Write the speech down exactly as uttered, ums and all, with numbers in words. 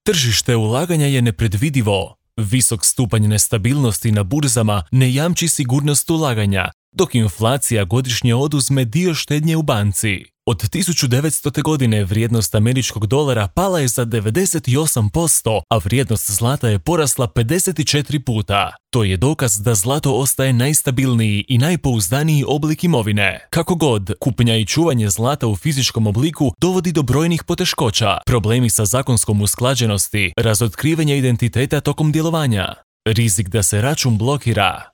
Tržište ulaganja je nepredvidivo. Visok stupanj nestabilnosti na burzama ne jamči sigurnost ulaganja, dok inflacija godišnje oduzme dio štednje u banci. Od tisuću devetstote. godine vrijednost američkog dolara pala je za devedeset osam posto, a vrijednost zlata je porasla pedeset četiri puta. To je dokaz da zlato ostaje najstabilniji i najpouzdaniji oblik imovine. Kako god, kupnja i čuvanje zlata u fizičkom obliku dovodi do brojnih poteškoća, problemi sa zakonskom usklađenosti, razotkrivanje identiteta tokom djelovanja, rizik da se račun blokira.